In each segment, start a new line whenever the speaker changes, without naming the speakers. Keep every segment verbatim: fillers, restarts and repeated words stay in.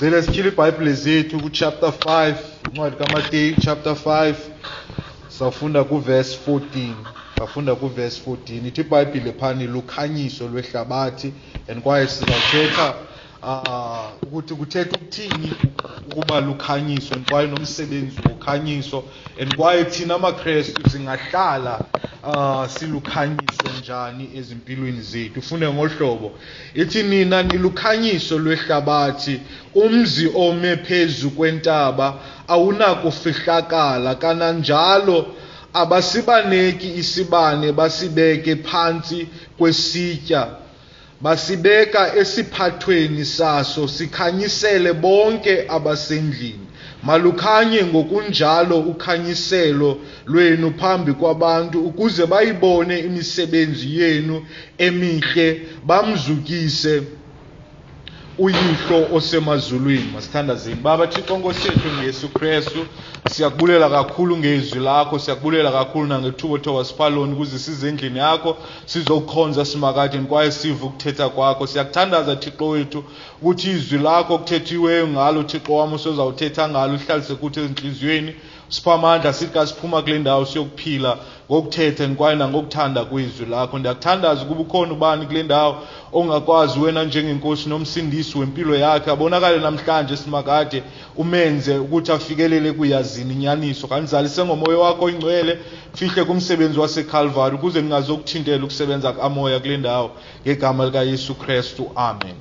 Ngicela sityhile iBhayibhile zethu ku-chapter five, incwadi kaMateyu chapter five. Sawufunda ku-verse fourteen. Sawufunda ku-verse fourteen. Ithi iBhayibhile phani lukhanyiso lwehlabathi, and kwaye sizawuthetha uh, ukuthi kuthetha ukuthini ukuba lukhanyiso, and kwaye nomsebenzi wokhanyiso, and kwaye thina amaKrestu singahlala uh, silukhanyiso njani ezimpilweni zethu. Ufunde ngohlobo ithi nina nilukhanyiso lwehlabathi, umzi ome phezu kwentaba awunakufihlakala, kananjalo abasibaneki isibane basibeke phantsi kwesitya, basibeka esiphathweni saso sikhanyisele bonke abasendlini. Malukhanye ngokunjalo ukhanyiselo lwenu phambi kwabantu, ukuze bayibone imisebenzi yenu emihle, bamzukise uYihlo osemazulwini. Masithandazeni. Baba Thixo Nkosi yethu ngeYesu Kristu, siyakubulela kakhulu ngezwi lakho, siyakubulela kakhulu nangethuba othe wasipha lona ukuze size endlini yakho sizokukhonza simakade kwaye sive ukuthetha kwakho. Siyakuthandaza Thixo wethu ukuthi izwi lakho okuthethiweyo ngalo Thixo wam usozawuthetha ngalo uhlalise kuthi ezintliziyweni, sipha amandla sithi xa siphuma kule ndawo siyokuphila ngokuthetha kwaye nangokuthanda kwezwi lakho. Ndiyakuthandaza ukuba ukhona ubani kule ndawo ongakwazi wena njengenkosi nomsindisi wempilo yakhe, abonakale namhlanje simakade, umenze ukuthi afikelele kuyazini inyaniso. Kanizalise ngomoya wakho oyingcwele, fihle kumsebenzi waseKalvari ukuze ningazokuthintela ukusebenza kamoya kule ndawo, ngegama likaYesu Kristu, amen.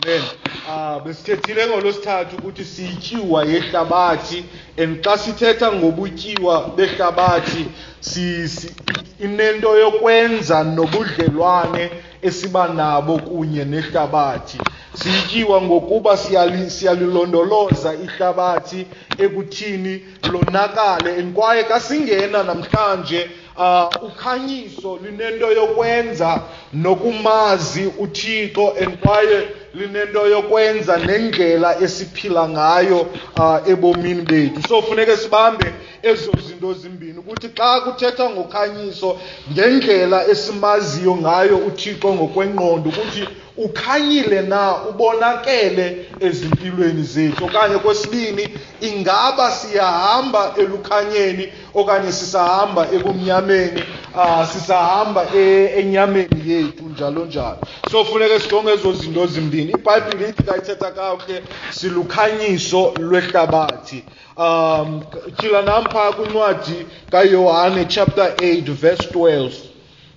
Amen. Ah, besithethile ngolwesithathu ukuthi siyityiwa yehlabathi, and xa sithetha ngobutyiwa behlabathi si, si, inento yokwenza nobudlelwane esiba nabo kunye nehlabathi. Siyityiwa ngokuba siyali, siyalilondoloza ihlabathi ekuthini lonakale, and kwaye xa singena namhlanje uh, ukhanyiso linento yokwenza nokumazi uThixo, and kwaye linento yokwenza nendlela esiphila ngayo uh, ebomini bethu. So funeke sibambe ezo zinto zimbini, ukuthi xa kuthetha ngokhanyiso ngendlela esimaziyo ngayo uThixo ngokwengqondo, ukuthi ukhanyile na, ubonakele ezimpilweni zethu, okanye kwesibini ingaba siyahamba elukhanyeni okanye sisahamba ebumnyameni, uh, sisahamba e, enyameni yethu njalo njalo. So funeke sijonge ezo zinto zimbini. iBhayibhile ithi xa ithetha kakuhle silukhanyiso lwehlabathi. Um tyhila nam phaa kwincwadi kaYohane chapter eight verse twelve.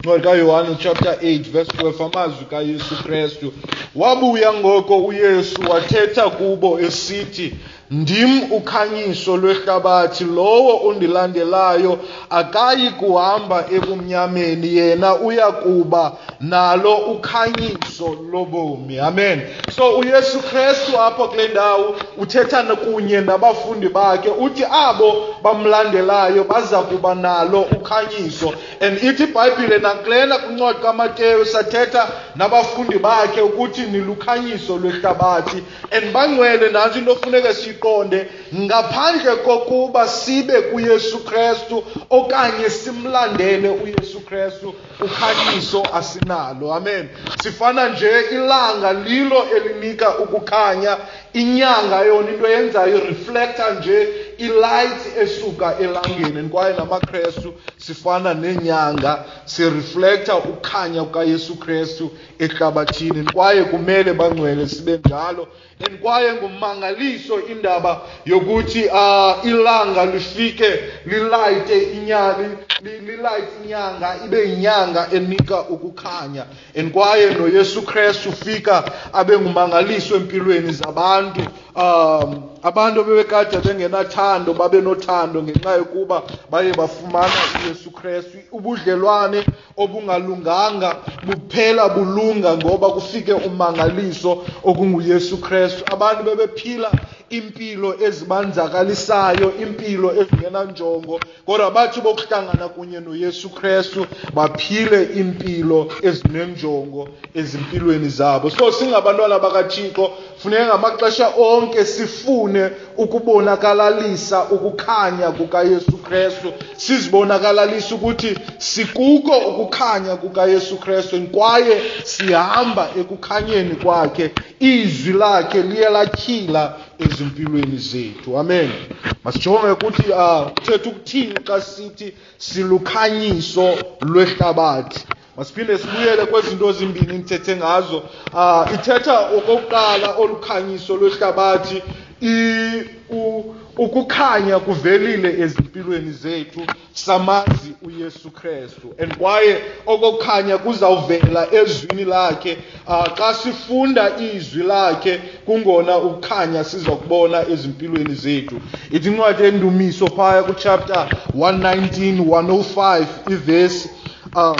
Incwadi kaYohane chapter eight verse twelve, amazwi kaYesu Kristu. Wabuya ngoko uYesu wathetha kubo esithi, ndim ukhanyiso lwehlabathi, lowo undilandelayo akayi kuhamba ebumnyameni, yena uya kuba nalo ukhanyiso lobomi. Amen. So uYesu Kristu apha kule ndawo uthetha kunye nabafundi bakhe, uthi abo bamlandelayo baza kuba nalo ukhanyiso. And ithi iBhayibhile nakulena kwincwadi kaMateyu sathetha nabafundi bakhe ukuthi nilukhanyiso lwehlabathi. And bangcwele, nantsi into ofuneka siyiqonde, ngaphandle kokuba sibe kuYesu Kristu okanye simlandele uYesu Kristu, ukhanyiso asinalo. Amen. Sifana nje ilanga lilo elinika ukukhanya, inyanga yona into yenzayo reflector nje ilight esuka elangeni, kwaye namaKrestu sifana nenyanga, sireflecta ukukhanya kukaYesu Kristu ehlabathini, kwaye kumele bangcwele sibe njalo. And kwaye ngumangaliso indaba yokuthi uh, ilanga lifike lilayite inyanga, lilayite inyanga ibe inyanga enika ukukhanya. And kwaye noYesu Kristu ufika abe ngumangaliso empilweni zabantu. Um abantu bebekade bengenathando babe nothando ngenxa yokuba baye bafumana uYesu Kristu. Ubudlelwane obungalunganga buphela bulunga ngoba kufike umangaliso okunguYesu Kristu. Abantu bebephila impilo ezibanzakalisayo, impilo ezingenanjongo, kodwa bathi bokuhlangana kunye noYesu Kristu baphile impilo ezinenjongo ezimpilweni zabo. So singabantwana bakaThixo funeka ngamaxesha onke sifune ukubonakalalisa ukukhanya kukaYesu Kristu, sizibonakalalisa ukuthi sikuko ukukhanya kukaYesu Kristu kwaye sihamba ekukhanyeni kwakhe. Izwi lakhe liye latyhila ezimpilweni zethu. Amen. Masijonge ukuthi kuthetha ukuthini xa sithi silukhanyiso lwehlabathi. Masiphinde sibuyele kwezinto ezimbini ndithethe ngazo. Uh, ithetha okokuqala olukhanyiso lwehlabathi, ukukhanya kuvelile ezimpilweni zethu, samazi uYesu Kristu, and kwaye okokukhanya kuzawuvela ezwini lakhe. Uh, xa sifunda izwi lakhe kungona ukukhanya sizokubona ezimpilweni zethu. Ithi incwadi yendumiso phaya kuchapter one nineteen, one oh five ivesi, uh,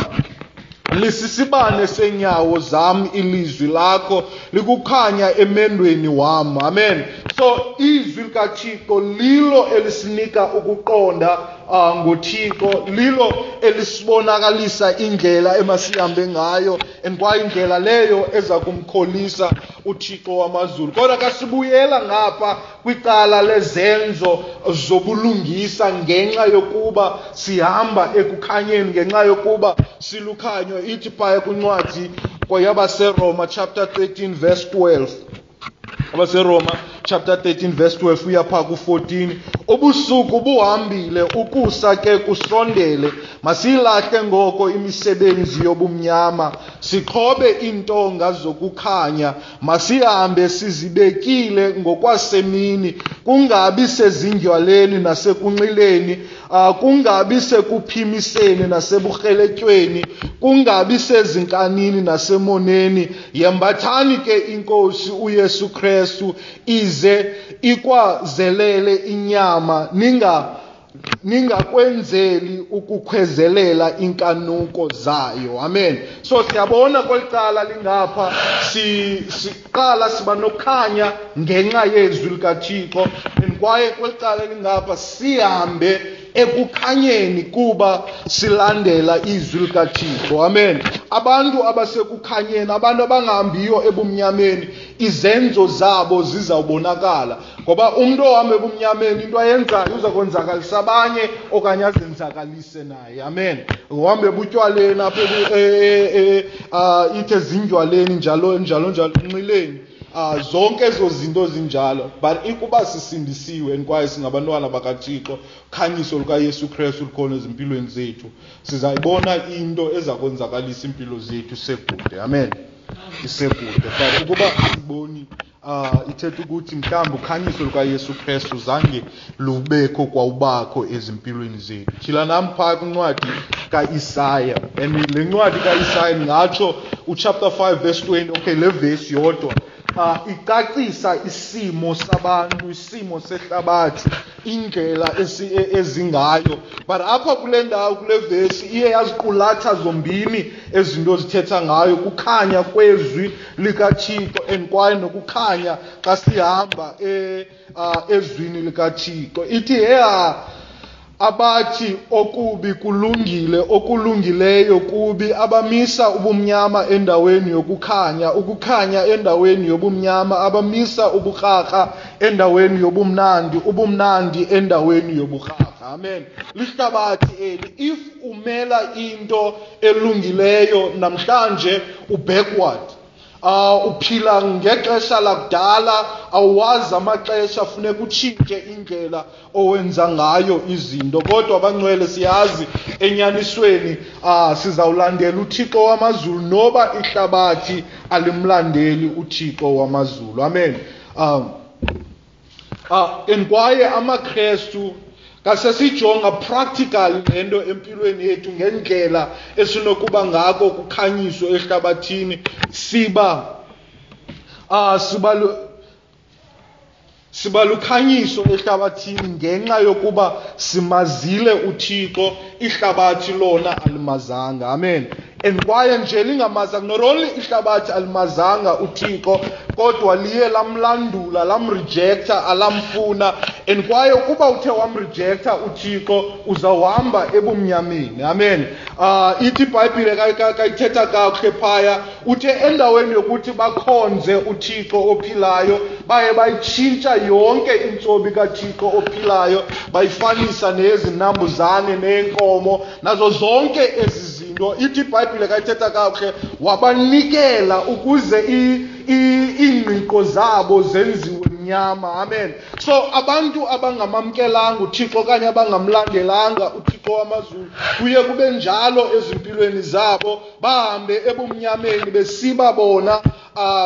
lisisibane senyawo zam ilizwi lakho, likukhanya emendweni wam. Amen. So izwi likaThixo lilo elisinika ukuqonda uh, ngoThixo, lilo elisibonakalisa indlela emasihambe ngayo, and kwaye indlela leyo eza kumkholisa uThixo wamazulu. Kodwa kasibuyela ngapha kwicala lezenzo zobulungisa, ngenxa yokuba sihamba ekukhanyeni, ngenxa yokuba silukhanyo. Ithi phaya kwincwadi kwabaseRoma chapter thirteen verse twelve. AbaseRoma chapter thirteen verse twelve uya pha ku fourteen. Ubusuku buhambile, ukusa ke kusondele. Masilahle ngoko imisebenzi yobumnyama, sixhobe iintonga zokukhanya. Masihambe sizibekile ngokwasemini, kungabi sezindywaleni nasekunxileni, uh, kungabi sekuphimiseni naseburheletyweni, kungabi sezinkanini nasemoneni. Yembathani ke iNkosi uYesu Kristu, ize ikwazelele inyama, ninga ningakwenzeli ukukhwezelela inkanuko zayo. Amen. So siyabona kwelicala lingapha, si siqala siba nokhanya ngenxa yezwi likaThixo, and kwaye kwelicala lingapha sihambe ekukhanyeni kuba silandela izwi likaThixo. Amen. Abantu abasekukhanyeni, abantu abangahambiyo ebumnyameni, izenzo zabo zizawubonakala, ngoba umuntu ohamba ebumnyameni into ayenzayo uza kwenzakalisa abanye okanye azenzakalise naye. Amen. Uhambe ebutywaleni apha ithe zindywaleni njalo njalo njalo enxileni, Uh, zonke ezo zinto zinjalo. But ikuba sisindisiwe kwaye singabantwana bakaThixo, khanyiso lukaYesu Kristu lukhona ezimpilweni zethu, sizayibona into eza kwenzakalisa impilo zethu sekude. Amen. Isekude. But ukuba asiboni, uh, ithetha ukuthi mhlawumbi ukhanyiso lukaYesu Kristu zange lubekho kwawubakho ezimpilweni zethu. Tyhila nam phaa kwincwadi kaIsaya, and le ncwadi kaIsaya ndingatsho uchapter five verse twenty. Okay, le vesi yodwa Uh, icacisa isimo sabantu, isimo sehlabathi, indlela ezingayo. But apha kule ndawo, kule vesi, iye yaziqulatha zombini ezinto zithetha ngayo, kukhanya kwezwi likaThixo and kwaye nokukhanya xa sihamba e, uh, ezwini likaThixo. Ithi heha abathi okubi kulungile, okulungileyo kubi, abamisa ubumnyama endaweni yokukhanya, ukukhanya endaweni yobumnyama, abamisa ubukrakra endaweni yobumnandi, ubumnandi endaweni yobukrakra. Amen. Lihlabathi eli, if umela into elungileyo namhlanje ubackward, Uh, uphila ngexesha lakudala, awazi amaxesha, funeka utshintshe indlela owenza ngayo izinto. Kodwa abangcwele siyazi enyanisweni, uh, sizawulandela uThixo wamazulu noba ihlabathi alimlandeli uThixo wamazulu. Amen. Um, uh, and kwaye amaKrestu kasesijonga practically lento empilweni yethu ngendlela esinokuba ngako kukhanyiso ehlabathini, siba ah siba siba lukhanyiso ehlabathini ngenxa yokuba simazile uThixo, ihlabathi lona alimazanga. Amen. And kwaye nje lingamazanga, not only ihlabathi alimazanga uThixo, kodwa liye lamlandula, lamrejecta, alamfuna. And kwaye ukuba uthe wamrejecta uThixo, uzawuhamba ebumnyameni. Amen. Uh, ithi iBhayibhile kayithetha kakuhle phaya, uthe endaweni yokuthi bakhonze uThixo ophilayo, baye bayitshintsha yonke intsobi kaThixo ophilayo, bayifanisa nezinambuzane neenkomo nazo zonke ezi zinto. Ithi iBhayibhile kayithetha kakuhle, wabanikela ukuze iingqiqo zabo zenziwe mnyama. Amen. So abantu abangamamkelanga uThixo okanye abangamlandelanga uThixo wamazulu, kuye kube njalo ezimpilweni zabo, bahambe ebumnyameni besiba bona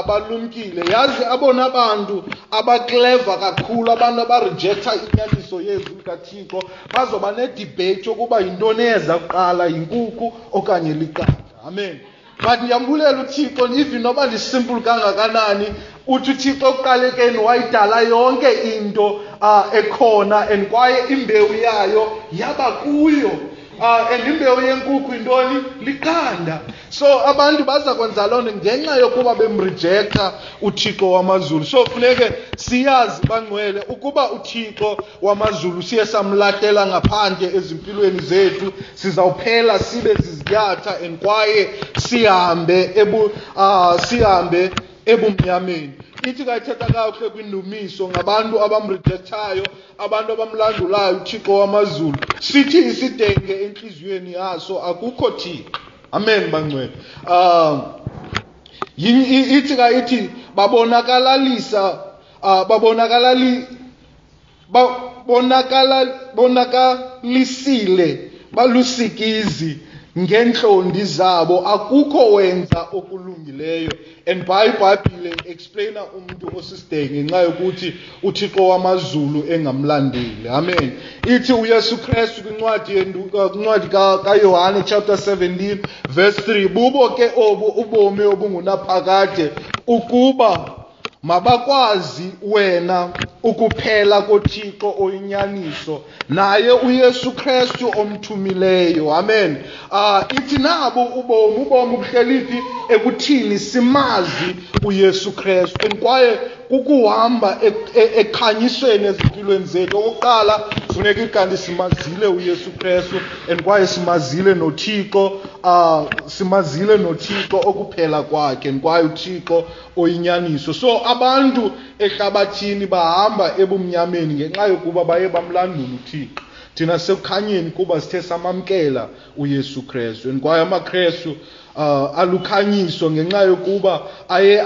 balumkile. Yazi abona bantu abakleva kakhulu, abantu abarejecta inyaniso yezwi likaThixo, bazoba nedebate yokuba yintoni eza kuqala, yinkukhu okanye liqanda. Amen. But ndiyambulela uThixo, even noba ndisimple kangakanani, uthi uThixo ekuqalekeni wayidala yonke into uh, ekhona, and kwaye imbewu yayo yaba kuyo. Uh, and imbewu yenkukhu yintoni? Liqanda. So abantu baza kwenza loo nto ngenxa yokuba bemrejecta uThixo wamazulu. So funeke siyazi bangcwele ukuba uThixo wamazulu siye samlahlela ngaphandle ezimpilweni zethu, sizawuphela sibe ziziyatha and kwaye sihambe ebu uh, sihambe ebumnyameni. Ithi kayithetha kakuhle kwindumiso ngabantu abamrejectayo, abantu abamlandulayo uThixo wamazulu. Sithi isidenge entliziyweni yaso, akukho Thixo. Amen bangcwele. Um ithi ka ithi babonakalalisa uh, babonakalali babonakala bonakalisile balusikizi ngentlondi zabo, akukho wenza okulungileyo. And iBhayibhile explaina umuntu osisidenge ngenxa yokuthi uThixo wamazulu engamlandeli. Amen. Ithi uYesu Kristu kwincwadi kwincwadi kaYohane chapter seventeen verse three, bubo ke obu ubomi obungunaphakade, ukuba mabakwazi wena ukuphela koThixo oyinyaniso naye uYesu Kristu omthumileyo. Amen. Ah, ithi nabo ubomi, ubomi buhleli phi? Ekuthini simazi uYesu Kristu. And kwaye kukuhamba ekhanyisweni ezimpilweni zethu. Okokuqala funeka ikanti simazile uYesu Kristu, and kwaye simazile noThixo, ah simazile noThixo okuphela kwakhe, and kwaye uThixo oyinyaniso. So abantu ehlabathini bahamba ebumnyameni ngenxa yokuba baye bamlandula uThixo. Thina sekukhanyeni kuba sithe samamkela uYesu Kristu, and kwaye amaKristu uh, alukhanyiso ngenxa yokuba aye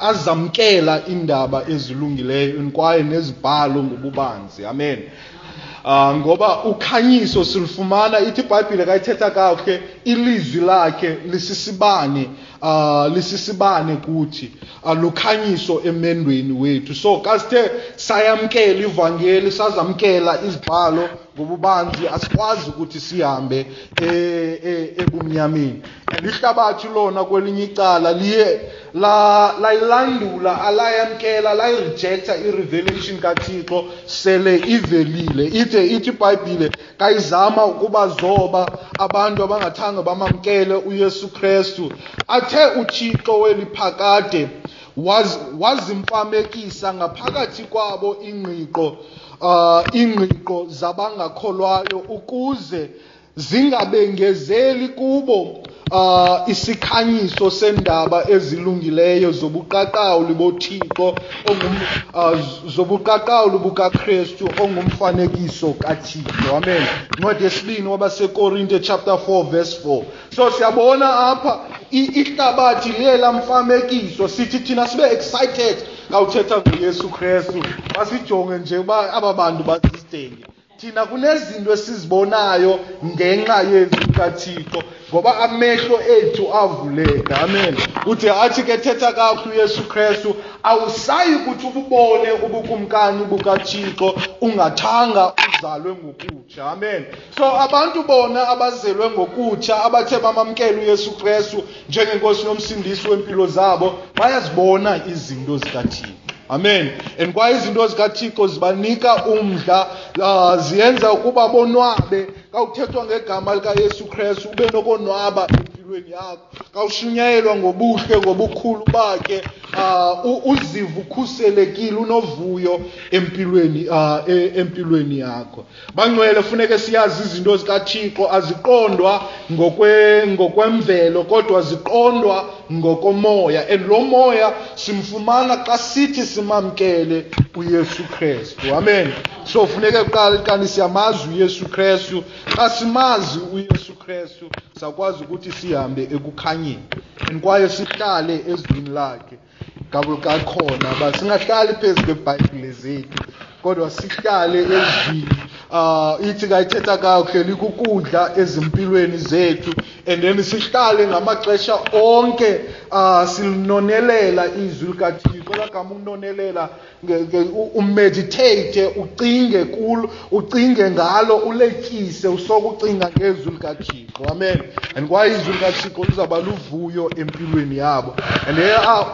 azamkela indaba ezilungileyo and kwaye nezibhalo ngobubanzi. Amen. Uh, ngoba ukhanyiso silufumana, ithi iBhayibhile kayithetha kakuhle, ilizwi lakhe lisisibane, uh, lisisibane kuthi, uh, lukhanyiso emendweni wethu. So kasithe sayamkela ivangeli, sazamkela izibhalo ngobubanzi, asikwazi ukuthi sihambe ebumnyameni. And ihlabathi lona kwelinye icala liye la layilandula, alayamkela, layirejecta i-revelation kaThixo sele ivelile. Ithe ithi iBhayibhile kayizama ukubazoba abantu abangathanga bamamkele uYesu Kristu, athe uThixo weliphakade wazimfamekisa ngaphakathi kwabo ingqiqo uh ingqiqo zabangakholwayo, ukuze zingabengezeli kubo uh isikhanyiso sendaba ezilungileyo zobuqaqawuli boThixo ongum uh, zobuqaqawuli bukaKristu ongumfanekiso kaThixo. Amen. Incwadi yesibini wabaseKorinte chapter four verse four. So siyabona apha ihlabathi liye lamfamekiso. Sithi thina sibe excited xa uthetha ngoYesu Kristu, basijonge nje uba aba bantu bazisidenge. Thina kunezinto esizibonayo ngenxa yezwi likaThixo, ngoba amehlo ethu avuleka. Amen. Uthi athi ke thetha kakuhle uYesu Kristu, awusayi kuthi ububone ubukumkani bukaThixo ungathanga uzalwe ngokutsha. Amen. So abantu bona abazelwe ngokutsha, abathe bamamkela uYesu Kristu njengenkosi nomsindisi wempilo zabo, bayazibona izinto zikaThixo. Amen. And kwaye izinto zikaThixo zibanika umdla, uh, ziyenza ukuba bonwabe. Xa kuthethwa ngegama likaYesu Kristu ube nokonwaba empilweni yakho. Xa ushunyayelwa ngobuhle ngobukhulu bakhe, uh, uzive ukhuselekile, unovuyo empilweni uh, empilweni yakho. Bangcwele, funeke siyazi izinto zikaThixo aziqondwa ngokwe ngokwemvelo, kodwa ziqondwa ngokomoya, and lo moya simfumana xa sithi simamkele uYesu Kristu. Amen. So funeke kuqala kanti siyamazi uYesu Kristu. Xa simazi uYesu Kristu sakwazi ukuthi sihambe ekukhanyeni and kwaye sihlale ezwini lakhe. Kakhona ba singahlali phezu kweBhayibhile zethu, kodwa sihlale ezwini. Uh, ithi kayithetha kakuhle likukudla ezimpilweni zethu, and then sihlale ngamaxesha onke uh, silinonelela izwi likaThixo. Lagama unonelela, umeditate, ucinge kulo, ucinge ngalo, uletyise, usokucinga ngezwi likaThixo. Amen. And kwaye izwi likaThixo lizawuba luvuyo empilweni yabo. And uh,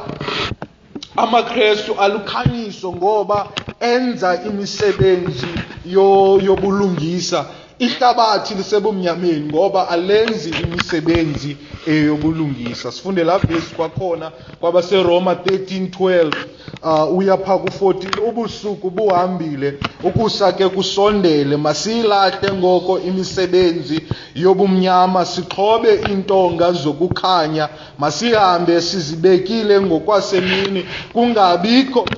amaKrestu alukhanyiso ngoba enza imisebenzi yobulungisa. Ihlabathi lisebumnyameni ngoba alenzi imisebenzi eyobulungisa. Sifunde la verse kwakhona kwabaseRoma thirteen twelve uh, uya pha ku fourteen. Ubusuku buhambile, ukusa ke kusondele, masiyilahle ngoko imisebenzi yobumnyama, sixhobe intonga zokukhanya, masihambe sizibekile ngokwasemini, kungabikho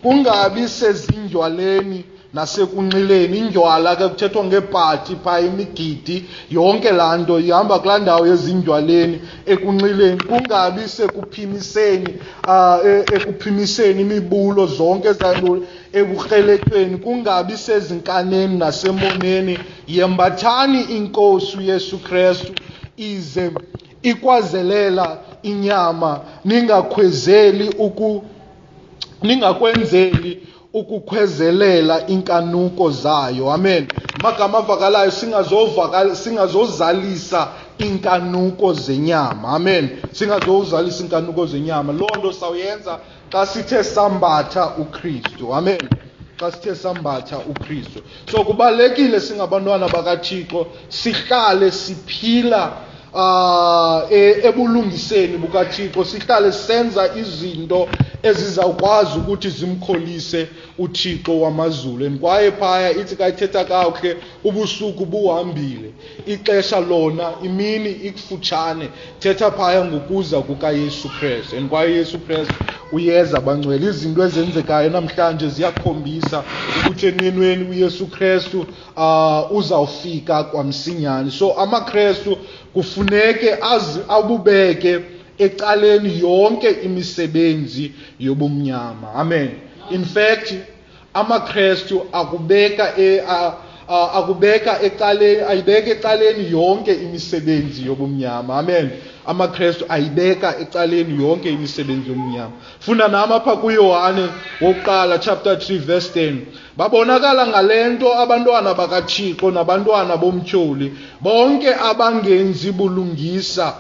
kungabi sezindywaleni nasekunxileni. Indywala ke kuthethwa ngeepati phaa, imigidi, yonke laa nto ihamba kulaa ndawo yezindywaleni, ekunxileni, kungabi sekuphimiseni uh, ekuphimiseni imibulo zonke ezanto, ebukreletyweni, kungabi sezinkaneni nasemoneni. Yembathani iNkosi uYesu Kristu, ize ikwazelela inyama, ningakhwezeli uku ningakwenzeli ukukhwezelela inkanuko zayo. Amen. Magama avakalayo, singazovakala singazozalisa inkanuko zenyama. Amen. Singazozalisa inkanuko zenyama. Loo nto sawuyenza xa sithe sambatha uKristu. Amen. Xa sithe sambatha uKristu. So kubalulekile singabantwana bakaThixo sihlale siphila uh, ebulungiseni bukaThixo, sihlale senza izinto ezizawukwazi ukuthi zimkholise uThixo wamazulu. And kwaye phaya ithi kayithetha kakuhle, ubusuku buhambile, ixesha lona imini ikufutshane. Thetha phaya ngokuza kukaYesu Kristu. And kwaye Yesu Kristu uyeza, bangcwele. Izinto ezenzekayo namhlanje ziyakhombisa ukuthi enenweni uYesu Kristu uh, uzawufika kwamsinyane. So amaKristu kufuneke azi abubeke ecaleni yonke imisebenzi yobumnyama. Amen. In fact, amaKristu akubeka e, a, a, akubeka ecaleni, ayibeka ecaleni yonke imisebenzi yobumnyama. Amen. AmaKristu ayibeka ecaleni yonke imisebenzi yobumnyama. Funda nami apha kuYohane wokuqala chapter three verse ten. Babonakala ngalento abantwana bakaThixo nabantwana bomtyholi, bonke abangenzi bulungisa,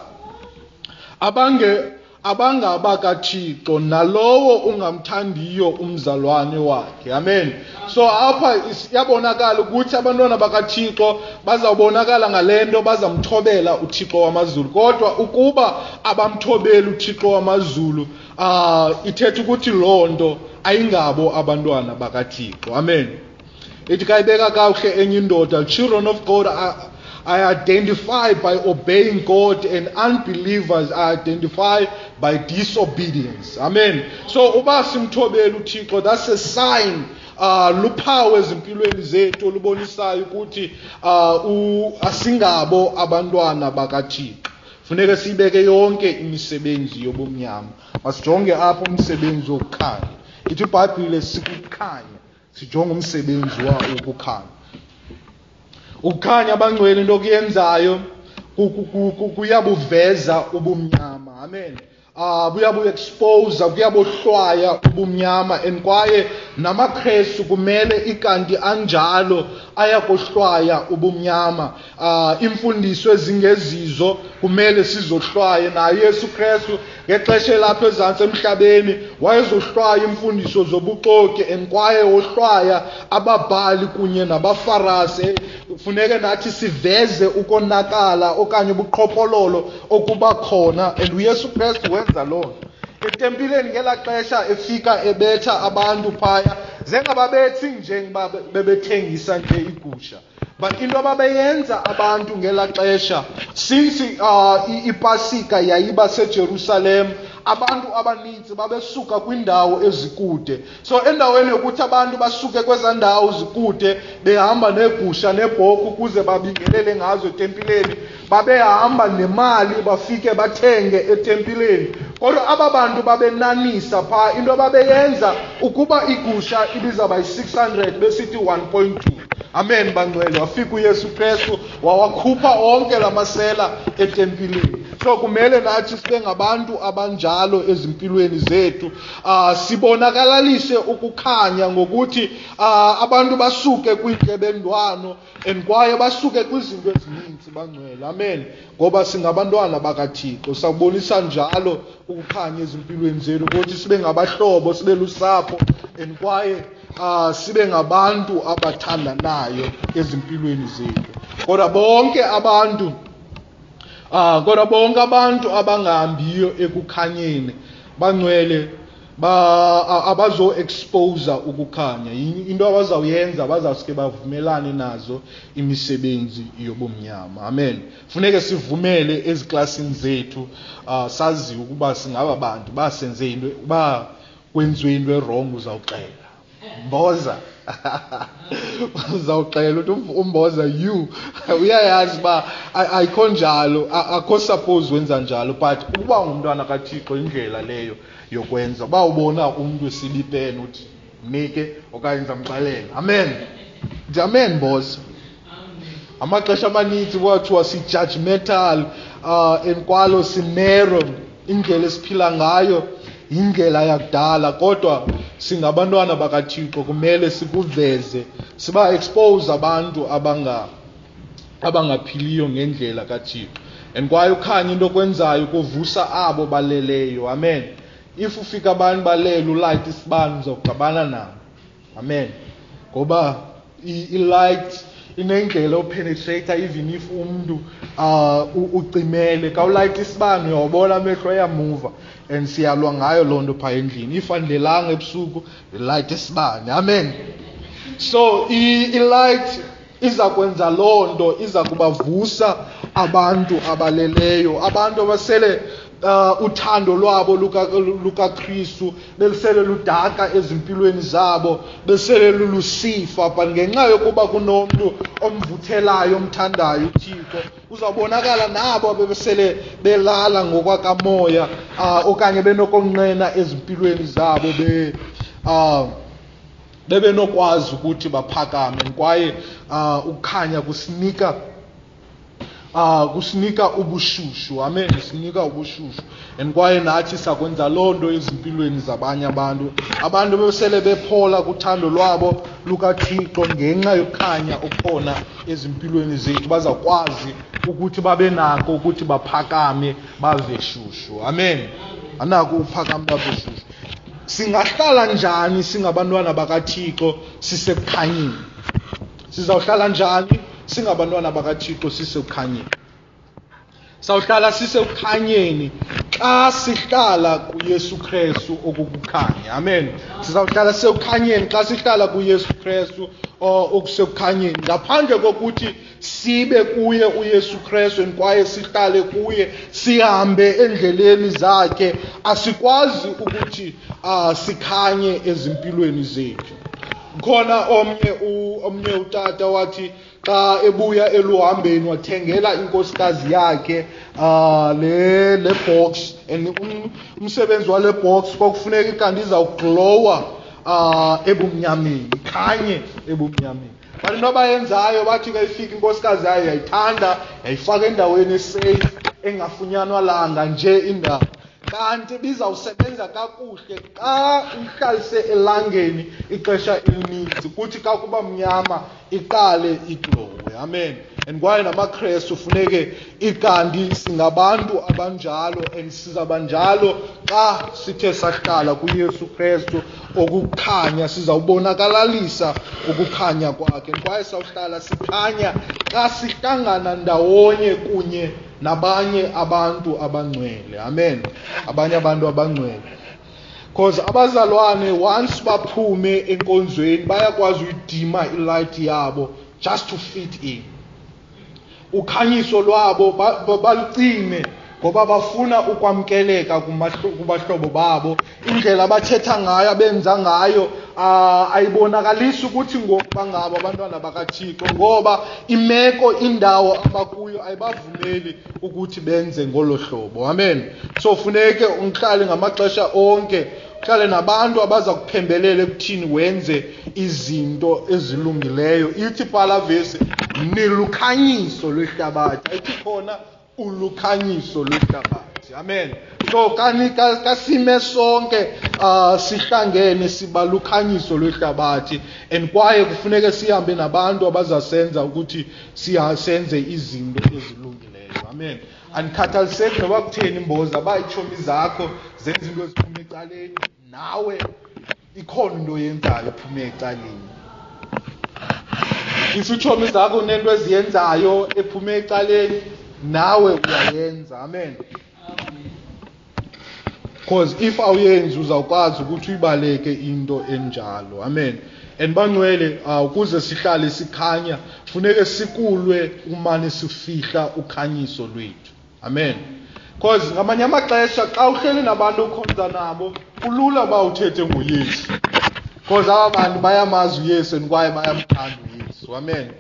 abange abangabakaThixo, nalowo ungamthandiyo umzalwane wakhe. Amen. So apha iyabonakala ukuthi abantwana bakaThixo bazawubonakala ngalento, bazamthobela uThixo wamazulu. Kodwa ukuba abamthobeli uThixo wamazulu, uh, ithetha ukuthi loo nto ayingabo abantwana bakaThixo. Amen. Ithi kayibeka kakuhle enye indoda, children of God are I identify by obeying God, and unbelievers are identified by disobedience. Amen. So uba simthobela uThixo, that's a sign, uh, luphawu ezimpilweni zethu olubonisayo ukuthi uh, asingabo abantwana bakaThixo. Funeka siyibeke yonke imisebenzi yobumnyama. Masijonge apho umsebenzi wokukhanya. Ithi iBhayibhile sikukhanya, sijonge umsebenzi wokukhanya. Ukukhanya, abangcwele, into okuyenzayo kuyabuveza ubumnyama. Amen. Ah, buyabu-expose, kuyabohlwaya ubumnyama. And kwaye namaKristu kumele ikanti anjalo ayakohlwaya ubumnyama. Ah, imfundiso ezingezizo kumele sizohlwaye. Naye Yesu Kristu ngexesha elapha ezantsi emhlabeni wayezohlwaya imfundiso zobuxoki, and kwaye wohlwaya ababhali kunye nabaFarasi. Funeke nathi siveze ukonakala okanye ubuqhophololo okuba khona, and uYesu Kristu wenza loo nto. Etempileni ngelaa xesha efika ebetha abantu phaya, zengababethi njengoba bebethengisa nje igusha. But into ababeyenza abantu ngelaa xesha, since uh, iPasika yayiba seJerusalem, abantu abaninzi babesuka kwindawo ezikude. So endaweni yokuthi abantu basuke kwezaa ndawo zikude behamba neegusha neebhokhwe ukuze babingelele ngazo etempileni, babehamba nemali bafike bathenge etempileni. Kodwa aba bantu babenanisa phaa, into ababeyenza ukuba igusha ibizawuba yi-six hundred besithi one point two. Amen bangcwele. Wafika uYesu Kristu wawakhupha onke la masela etempileni. So kumele nathi sibe ngabantu abanjalo ezimpilweni zethu. Uh, sibonakalalise ukukhanya ngokuthi uh, abantu basuke kwintlebendwano and kwaye basuke kwizinto ezininzi bangcwele. Amen. Ngoba singabantwana bakaThixo, sakubonisa njalo ukukhanya ezimpilweni zethu ukuthi sibe ngabahlobo, sibe lusapho and kwaye uh, sibe ngabantu abathandanayo ezimpilweni zethu. Kodwa bonke abantu Ah, kodwa bonke abantu abangahambiyo ekukhanyeni bangcwele ba abazo expose ukukhanya. Into abazawuyenza bazawuske bavumelane nazo imisebenzi yobumnyama. Amen. Funeke sivumele eziklasini zethu, uh, sazi ukuba singaba bantu basenze into, ba kwenziwe into wrong uzawuxela. Mboza. Uzawuxela uthi umboza you uyayazi uba ayikho njalo, akho suppose wenza njalo, but ukuba ungumntwana kaThixo indlela leyo yokwenza. Uba ubona umntu esibipeni uthi mnike okanye ndizamxelela. Amen. Ndithi amen mboza. Amaxesha amaninzi kwathiwa si-judgmental, uh, enkwalo sinero, indlela esiphila ngayo indlela yakudala, kodwa singabantwana bakaThixo kumele sikuveze, siba expose abantu abanga abangaphiliyo ngendlela kaThixo. And kwaye ukhanya into okwenzayo kuvusa abo baleleyo. Amen. If ufika abantu balele ulight isibane uzawuxabana nabo. Amen. Ngoba i-light inendlela openetrate even if umntu uh, ucimele. Ka ulight isibane uyawubona amehlo ayamuva, and siyalwa ngayo loo nto phaa endlini. If andilelanga ebusuku light isibane. Amen. So i-light iza kwenza loo nto, iza kubavusa abantu abaleleyo, abantu abasele uh, uthando lwabo lukaKristu belisele ludaka ezimpilweni zabo, besele lulusifa, but ngenxa yokuba kunomntu omvuthelayo omthandayo uThixo, uzawubonakala nabo abebesele belala ngokwakamoya, uh, okanye benokonqena ezimpilweni zabo, be uh, bebenokwazi ukuthi baphakame. Kwaye uh, ukukhanya kusinika Uh, kusinika ubushushu. Amen. Sinika ubushushu. And kwaye nathi sakwenza loo nto ezimpilweni zabanye abantu. Abantu besele bephola kuthando lwabo lukaThixo ngenxa yokukhanya okukhona ezimpilweni zethu, bazakwazi ukuthi babe nako ukuthi baphakame bave shushu. Amen. Anako uphakame bave shushu. Singahlala njani singabantwana bakaThixo sisekukhanyeni? Sizawuhlala njani singabantwana bakaThixo sisekukhanyeni? Sawuhlala sisekukhanyeni xa sihlala kuYesu Kristu okukukhanya. Amen. Sizawuhlala sisekukhanyeni xa sihlala kuYesu Kristu okusekukhanyeni, ngaphandle kokuthi sibe kuye uYesu Kristu kwaye sihlale kuye, sihambe endleleni zakhe, asikwazi ukuthi uh, sikhanye ezimpilweni zethu. Khona omnye omnye utata wathi xa ebuya eluhambeni wathengela inkosikazi yakhe uh, le le box, and umsebenzi wale box kwakufuneka kanti izawuglowa uh, ebumnyameni, ikhanye ebumnyameni. But into abayenzayo bathi ke ifika inkosikazi yayo yayithanda, yayifaka endaweni esafe engafunyanwa langa nje indawo. Kanti bizawusebenza kakuhle xa uhlalise elangeni ixesha elininzi, kuthi xa kuba mnyama iqale iglowe. Amen. And kwaye namaKrestu funeke ikanti singabantu abanjalo, and sizabanjalo xa sithe sahlala kuYesu Kristu okukhanya, sizawubonakalalisa ukukhanya kwakhe. Kwaye sawuhlala sikhanya xa sihlangana ndawonye kunye nabanye abantu abangcwele. Amen. Abanye abantu abangcwele. Because abazalwane once baphume enkonzweni bayakwazi uyidima ilight yabo just to fit in. Ukhanyiso lwabo balucime ngoba bafuna ukwamkeleka kubahlobo babo. Indlela abathetha ngayo, abenza ngayo, ayibonakalisi ukuthi ngoku bangabo abantwana bakaThixo, ngoba imeko, indawo abakuyo ayibavumeli ukuthi benze ngolo hlobo. Amen. So funeke uhlale ngamaxesha onke, uhlale nabantu abaza kuphembelela ekuthini wenze izinto ezilungileyo. Ithi phala vesi, nilukhanyiso lwehlabathi. Ayithi khona ulukhanyiso lwehlabathi. Amen. So kani kasime sonke uh, sihlangene siba lukhanyiso lwehlabathi, and kwaye kufuneke sihambe nabantu abazasenza ukuthi siyasenze izinto ezilungileyo. Amen. Andikhathaliseki noba kutheni imboza abayitshomi zakho zenza into eziphuma ecaleni, nawe ikhona into oyenzayo ephume ecaleni. If itshomi zakho unento eziyenzayo ephume ecaleni, nawe uyayenza. Amen. Because if awuyenzi uzawukwazi ukuthi uyibaleke into enjalo. Amen. And bangcwele, ukuze sihlale sikhanya funeke sikulwe umane sifihla ukhanyiso lwethu. Amen. Because ngamanye amaxesha xa uhleli nabantu okhonza nabo kulula uba uthethe ngoYesu, because aba bantu bayamazi uYesu and kwaye bayamthanda uYesu. Amen.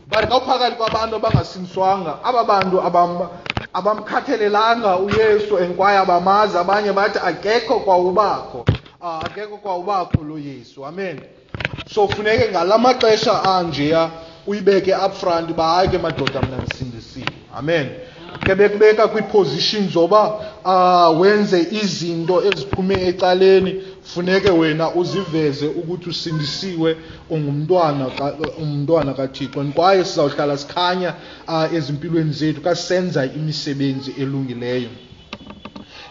But xa uphakathi kwabantu abangasindiswanga, aba bantu abam abamkhathalelanga uYesu and kwaye abamazi, abanye bathi akekho kwawubakho, akekho kwawubakho lo Yesu. Amen. So funeke ngalamaxesha anjeya uyibeke up front uba hayi ke madoda mna ndisindisiwe. Amen. Ke bekubeka kwiposition zoba uh, wenze izinto eziphume ecaleni, funeke wena uziveze ukuthi usindisiwe, ungumntwana umntwana kaThixo. Kwaye sizawuhlala sikhanya uh, ezimpilweni zethu xa senza imisebenzi elungileyo.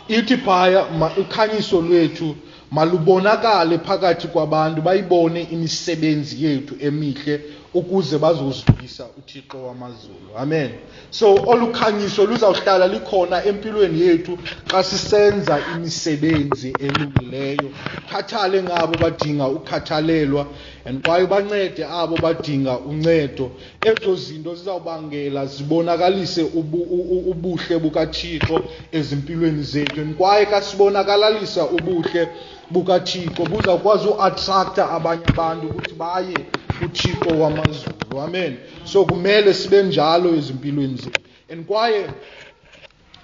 Ithi phaya ukhanyiso lwethu malubonakale phakathi kwabantu, bayibone imisebenzi yethu emihle ukuze bazozivisa uThixo wamazulu. Amen. So olukhanyiso luzawuhlala likhona empilweni yethu xa sisenza imisebenzi elungileyo. Khathale ngabo badinga ukhathalelwa, and kwaye bancede abo badinga uncedo. Ezo zinto zizawubangela zibonakalise ubuhle bukaThixo ezimpilweni zethu, and kwaye xa sibonakalalisa ubuhle bukaThixo buzawukwazi uattracta abanye abantu ukuthi baye kuThixo wamazulu. Amen. So kumele sibe njalo ezimpilweni zethu, and kwaye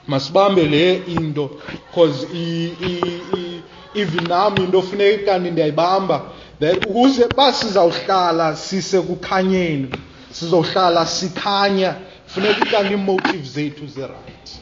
masibambe le into, because even nami into funeka kanti ndiyayibamba that ukuze basizawuhlala sisekukhanyeni, sizohlala sikhanya, funeka kanti ii-motives zethu zi-right.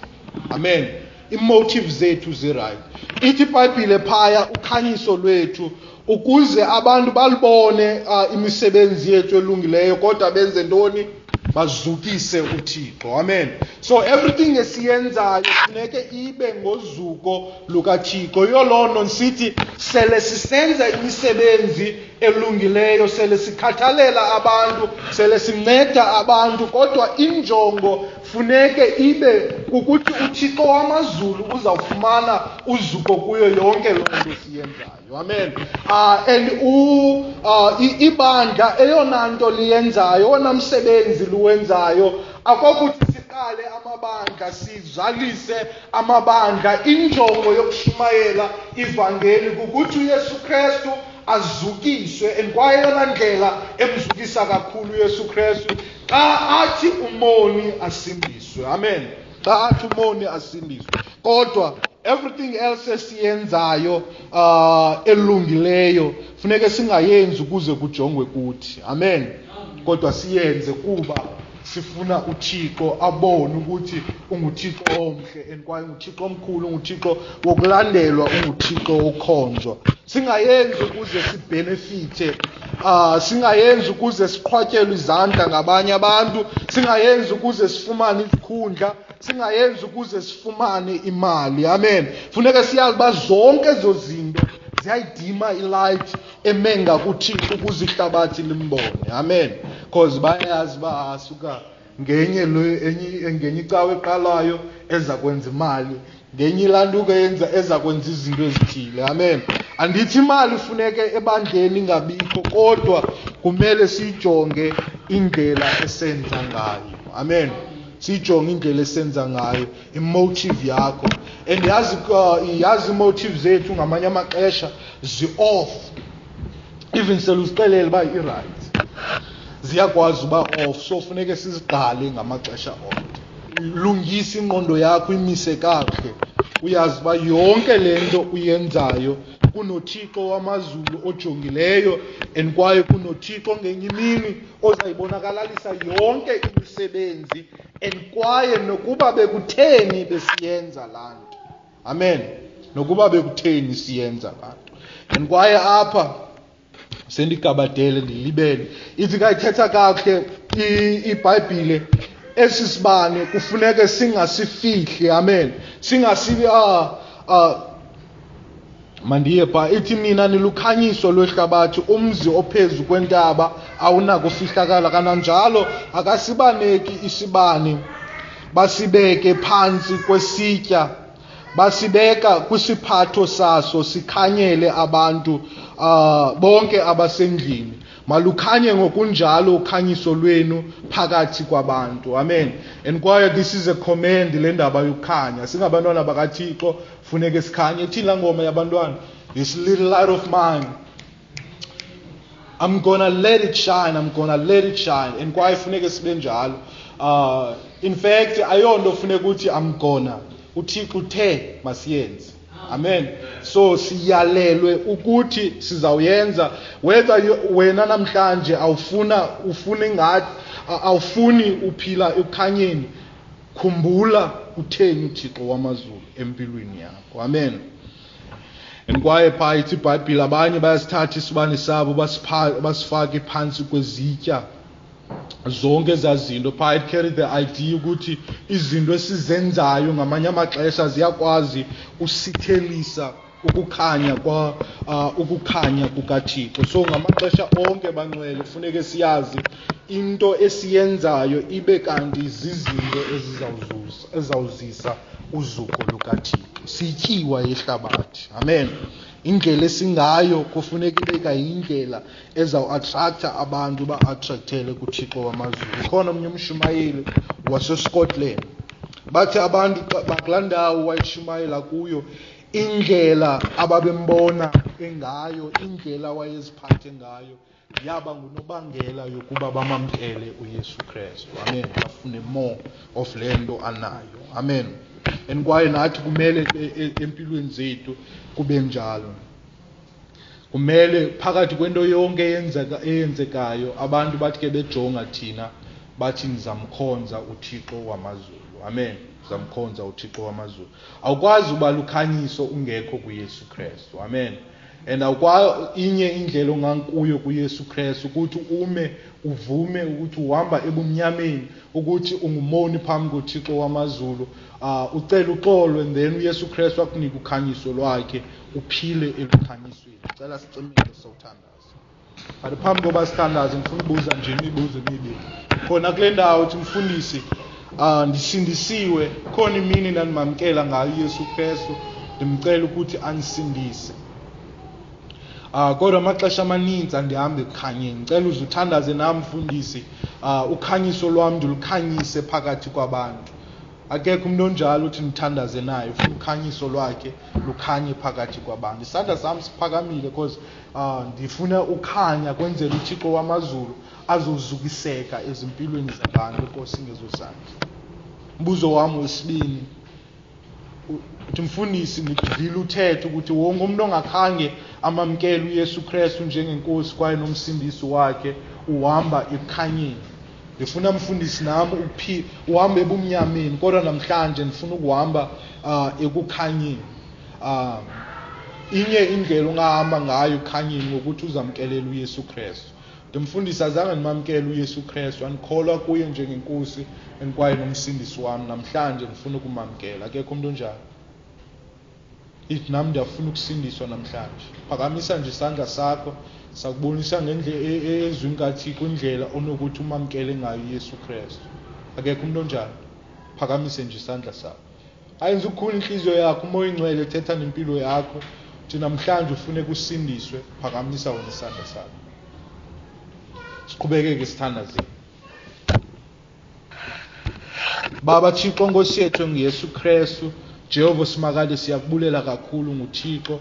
Amen. Ii-motives zethu zi-right. Ithi iBhayibhile phaya ukhanyiso lwethu ukuze abantu balibone uh, imisebenzi yethu elungileyo, kodwa benze ntoni? Bazukise uThixo. Amen. So everything esiyenzayo funeke ibe ngozuko lukaThixo. Yiyo loo nto ndisithi sele sisenza imisebenzi elungileyo, sele sikhathalela abantu, sele sinceda abantu, kodwa injongo funeke ibe kukuthi uThixo wamazulu uzawufumana uzuko kuyo yonke loo nto siyenzayo. Amen. Uh, and u uh, ibandla eyona nto liyenzayo, owona msebenzi luwenzayo, akokuthi siqale amabandla, sizalise amabandla. Injongo yokushumayela ivangeli kukuthi uYesu Kristu azukiswe, and kwaye eyona ndlela emzukisa kakhulu uYesu Kristu xa athi umoni asindiswe. Amen. Xa athi umoni asindiswe. Kodwa everything else esiyenzayo uh, elungileyo funeke singayenzi ukuze kujongwe kuthi. Amen. Kodwa siyenze kuba sifuna uThixo abone ukuthi unguThixo omhle, and kwaye unguThixo omkhulu, unguThixo wokulandelwa, unguThixo okhonzwa. Singayenzi ukuze sibenefite, uh, singayenzi ukuze siqhwatyelwe izandla ngabanye abantu, singayenzi ukuze sifumane izikhundla, singayenzi ukuze sifumane imali. Amen. Funeka siyazi uba zonke ezo zinto ziyayidima ilight emenga kuThixo ukuze ihlabathi limbone. Amen. Because bayazi uba asuka ngenye le ngenye icawe eqalayo eza kwenza imali, ngenye ilantuka yenza eza kwenza izinto ezithile. Amen. Andithi imali ifuneke ebandleni ingabikho, kodwa kumele siyijonge indlela esenza ngayo. Amen. Siyijonge indlela esenza ngayo, imotive yakho. And yazi uh, yazi imotive zethu ngamanye amaxesha zi-off. Even seluzixelele uba i-right, ziyakwazi uba off. So funeke sizigqale ngamaxesha onke. Lungisa ingqondo yakho, imise kakuhle. Uyazi uba yonke le nto uyenzayo kunoThixo wamazulu ojongileyo, and kwaye kunoThixo ngenye imini ozayibonakalalisa yonke imisebenzi, and kwaye nokuba bekutheni besiyenza laa nto. Amen. Nokuba bekutheni siyenza laa nto. And kwaye apha sendigabadele ndilibele, ithi kayithetha kakuhle iBhayibhile, esi sibane kufuneke singasifihli. Amen. Singasibi ah ah mandiye pha, ithi nina nilukhanyiso lwehlabathi, umzi ophezu kwentaba awunakufihlakala, kananjalo akasibaneki isibane basibeke phantsi kwesitya, basibeka kwisiphatho saso sikhanyele abantu uh, bonke abasendlini. Malukhanye ngokunjalo ukhanyiso lwenu phakathi kwabantu. Amen. And kwaye this is a command, le ndaba yokukhanya. Singabantwana bakaThixo, funeke sikhanye. Ithini laa ngoma yabantwana? This little light of mine, I'm gonna let it shine, I'm gonna let it shine. And kwaye funeke sibe njalo. Uh, in fact, ayonto funeka uthi I'm gonna. uThixo uthe masiyenze. Amen. So siyalelwe ukuthi sizawuyenza, whether wena namhlanje awufuna ufuna ingathi awufuni uphila ekukhanyeni, khumbula utheni uThixo wamazulu empilweni yakho. Amen. And kwaye phaa ithi iBhayibhile, abanye bayasithatha isibane sabo basifake phantsi kwezitya. Zonke ezaa zinto phaa, it carry the idea ukuthi izinto esizenzayo ngamanye amaxesha ziyakwazi usithelisa ukukhanya kwa uh, ukukhanya kukaThixo. So ngamaxesha onke bangcwele funeke siyazi into esiyenzayo ibe kanti zizinto ezizawuzuza ezawuzisa uzuko lukaThixo. Sityiwa yehlabathi. Amen. Indlela esingayo kufuneka ibe kayindlela ezawu-attracta abantu ba-attractele kuThixo wamazulu. Khona omnye umshumayeli waseScotland, bathi abantu bakulaa ndawo wayeshumayela kuyo, indlela ababembona engayo, indlela wayeziphathe ngayo, yaba ngunobangela yokuba bamamkele uYesu Kristu. Amen. Bafune more of le nto anayo. Amen. And kwaye nathi kumele empilweni zethu kube njalo. Kumele phakathi kwento yonke eyenzeka eyenzekayo abantu bathi ke bejonga thina bathi nizamkhonza uThixo wamazulu. Amen. Nizamkhonza uThixo wamazulu. Awukwazi uba lukhanyiso ungekho kuYesu Kristu. Amen. And awukwazi inye indlela ongankuyo kuYesu Kristu ukuthi ume uvume ukuthi uhamba ebumnyameni, ukuthi ungumoni phambi koThixo wamazulu, uh, ucela uxolo, and then uYesu Kristu akunike ukhanyiso lwakhe, uphile elukhanyisweni. Cela sicimile sawuthandaza. But phambi koba sithandaze ngifuna ukubuza nje imibuzo emibili. Khona kule ndawo uthi mfundisi, uh, ndisindisiwe, khona imini ndandimamkela ngayo uYesu Kristu, ndimcela ukuthi andisindise. Uh, kodwa amaxesha amaninzi andihambi ekukhanyeni. Ndicela uze uthandaze nam mfundisi, uh, ukhanyiso lwam ndilukhanyise phakathi kwabantu. Akekho umuntu onjalo uthi ndithandaze naye, ufuna ukhanyiso lwakhe lukhanye phakathi kwabantu. Isandla sam siphakamile because uh, ndifuna ukhanya kwenzela uThixo wamazulu azozukiseka ezimpilweni zabantu. Nkosi ngezo zandla. Umbuzo wam wesibini, uthi mfundisi, ndivile uthetha ukuthi wonke umuntu ongakhange amamkele uYesu Kristu njengenkosi kwaye nomsindisi wakhe uhamba ekukhanyeni. Ndifuna mfundisi nam uphi uhambe ebumnyameni, kodwa namhlanje ndifuna ukuhamba uh, ekukhanyeni. Uh, inye indlela ongahamba ngayo ekukhanyeni ngokuthi uzamkelele uYesu Kristu. Ndimfundisi, azange ndimamkele uYesu Kristu, andikholwa kuye njengenkosi and kwaye nomsindisi wam. Namhlanje ndifuna ukumamkela. Akekho umuntu onjalo. Ithi nam ndiyafuna ukusindiswa namhlanje. Phakamisa nje isandla sakho, sakubonisa ngendlela ezwini kaThixo indlela onokuthi umamkele ngayo uYesu Kristu. Akekho umuntu onjalo. Phakamise nje isandla sakho. Ayenze ukukhula inhliziyo yakho, uMoya oyiNgcwele ethetha nempilo yakho. Uthi namhlanje ufuneka usindiswe, phakamisa wena isandla sakho. Siqhubekeke sithandazeni. Baba Thixo Nkosi yethu enguYesu Kristu, Jehova Simakade, siyakubulela kakhulu nguThixo.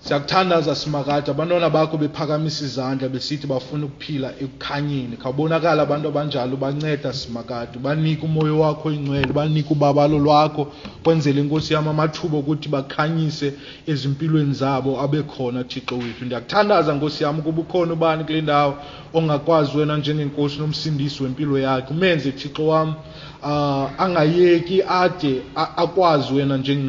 Siyakuthandaza Simakade, abantwana bakho bephakamisa izandla besithi bafuna ukuphila ekukhanyeni. Khawubonakala abantu abanjalo, banceda Simakade, banike umoya wakho oyingcwele, banike ubabalo lwakho, kwenzele Nkosi yam amathuba okuthi bakhanyise ezimpilweni zabo abe khona Thixo wethu. Ndiyakuthandaza Nkosi yam ukuba ukhona ubani kule ndawo ongakwazi wena njengenkosi nomsindisi wempilo yakhe, umenze Thixo wam uh, angayeki ade akwazi wena njengenkosi